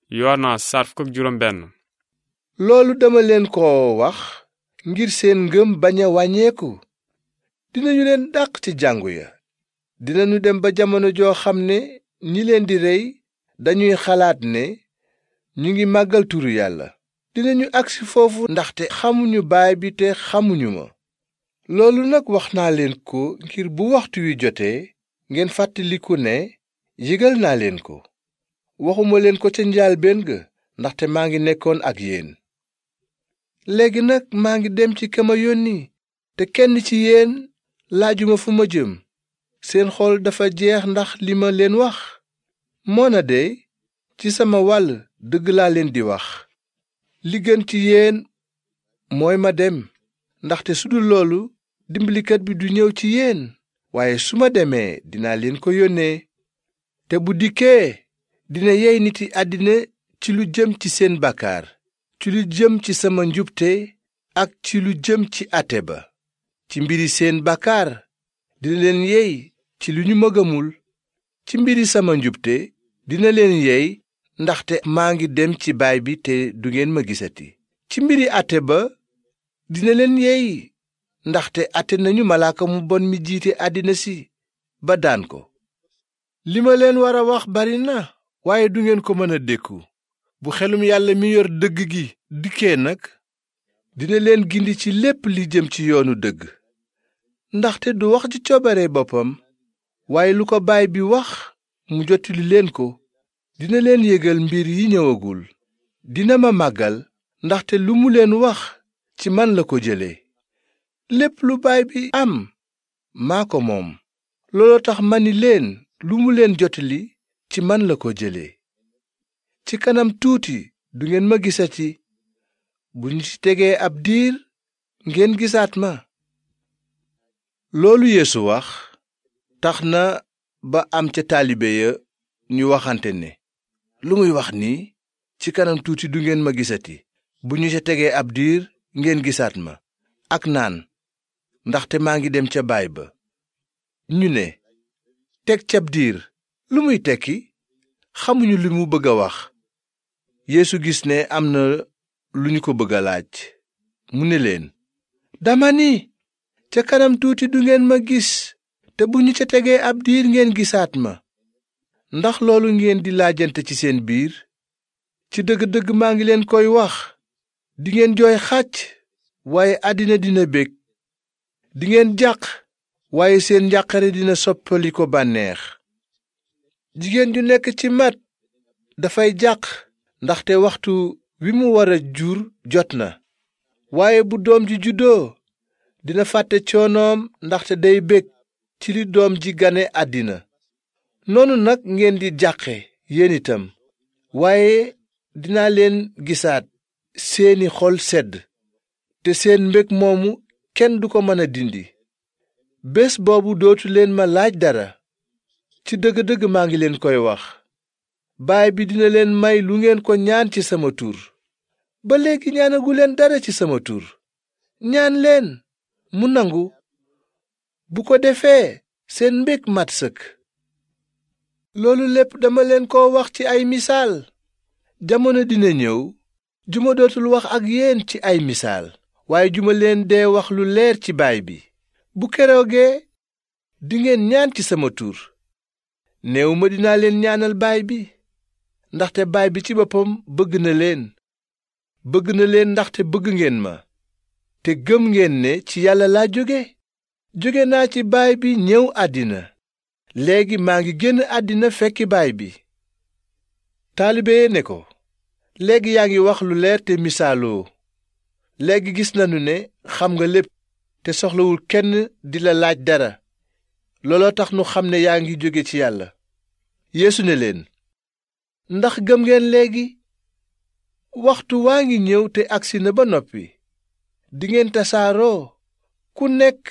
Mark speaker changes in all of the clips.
Speaker 1: Yowaana saar fukk ak juróom benn.
Speaker 2: loolu dama leen ko wax ngir seen ngëm bañ a wàññeeku. dinañu leen dàq ci jàngu ya, dinañu dem ba jamono joo xam ne ñi leen di rey dañuy xalaat ne ñu ngi màggal turu yàlla. dinañu agsi foofu ndaxte xamuñu baay bi te xamuñu ma. loolu nag wax naa leen ko ngir bu waxtu wi jotee ngeen fàttaliku ne yëgal naa leen ko. waxuma leen ko ca njaalbéen ga ndaxte maa ngi nekkoon ak yéen. léegi nag maa ngi dem ci ka ma yónni te kenn ci yéen laajuma fu ma jëm. seen xol dafa jeex ndax li ma leen wax. moona de ci sama wàll dëgg laa leen di wax. li gën ci yéen mooy ma dem, ndaxte su dul loolu dimbalikat bi du ñëw ci yéen. waaye su ma demee dinaa leen ko yónnee. te bu dikkee dina yey niti àddina ci lu jëm ci seen bàkkaar, ci lu jëm ci sama njubte ak ci lu jëm ci àtte ba. ci mbiri seen bàkkaar dina leen yey ci lu ñu ma gëmul. ci mbiri sama njubte dina leen yey ndaxte maa ngi dem ci baay bi te du ngeen ma gisati. ci mbiri àtte ba dina leen yey ndaxte àtte nañu malaaka mu bon mi jiite àddina si ba daan ko. li ma leen war a wax bari na, waaye du ngeen ko mën a dékku. bu xelum yàlla mi yor dëgg gi dikkee nag dina leen gindi ci lépp li jëm ci yoonu dëgg. ndaxte du wax ci coobare boppam, waaye lu ko baay bi wax mu jottali leen ko. dina leen yégal mbir yi ñëwagul. dina ma màggal ndaxte lu mu leen wax ci man la ko jële. lépp lu baay bi am maa ko moom. looloo tax ma ni leen lu mu leen jottali ci man la ko jële. ci kanam tuuti du ngeen ma gisati. bu ñu ci tegee ab diir ngeen gisaat ma. loolu Yeesu wax tax na ba am ca taalibe ya ñu waxante ne, lu muy wax nii, ci kanam tuuti du ngeen ma gisati, bu ñu ca tegee ab diir ngeen gisaat ma, ak naan, ndaxte maa ngi dem ca baay ba. ñu ne, teg cab diir lu muy tekki? xamuñu li mu bëgg a wax. Yeesu gis ne am na lu ñu ko bëgg a laaj. mu ne leen, dama ni ca kanam tuuti du ngeen ma gis, te bu ñu ca tegee ab diir ngeen gisaat ma. ndax loolu ngeen di laajante ci seen biir? ci dëgg-dëgg maa ngi leen koy wax, dingeen jooy xàcc, waaye àddina dina bég. dingeen jàq, waaye seen njàqare dina soppali ko bànneex. jigéen ju nekk ci mat dafay jàq, ndaxte waxtu wi mu war a jur jot na. waaye bu doom ji juddoo dina fàtte coonoom ndaxte day bég ci li doom ji gane àddina. noonu nag ngeen di jàqe yéen itam, waaye dinaa leen gisaat, seeni xol sedd, te seen mbég moomu kenn du ko mën a dindi. bés boobu dootu leen ma laaj dara. ci dëgg-dëgg maa ngi leen koy wax, baay bi dina leen may lu ngeen ko ñaan ci sama tur. ba léegi ñaanagu leen dara ci sama tur. ñaan leen mu nangu, bu ko defee seen mbég mat sëkk. loolu lépp dama leen ko wax ci ay misaal. jamono dina ñëw ju ma dootul wax ak yéen ci ay misaal, waaye ju ma leen dee wax lu leer ci baay bi. bu keroogee dingeen ñaan ci sama tur. néew ma dinaa leen ñaanal baay bi, ndaxte baay bi ci boppam bëgg na leen. bëgg na leen ndaxte bëgg ngeen ma, te gëm ngeen ne ci yàlla laa jóge naa ci baay bi ñëw àddina. léegi maa ngi génn àddina fekki baay bi. taalibe yi ne ko, léegi yaa ngi wax lu leer te misaaloo. léegi gis nanu ne xam nga lépp te soxlawul kenn di la laaj dara. looloo tax nu xam ne yaa ngi jóge ci yàlla. Yeesu ne leen, ndax gëm ngeen léegi? waxtu waa ngi ñëw te agsi na ba noppi. dingeen tasaaroo, ku nekk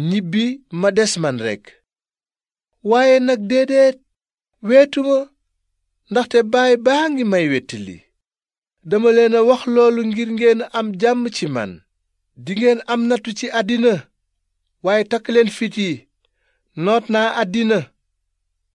Speaker 2: ñibbi ma des man rekk. waaye nag déedéet, weetuma, ndaxte baay baa ngi may wettali. dama leen a wax loolu ngir ngeen am jàmm ci man. dingeen am nattu ci àddina, waaye takk leen fit yi, noot naa àddina.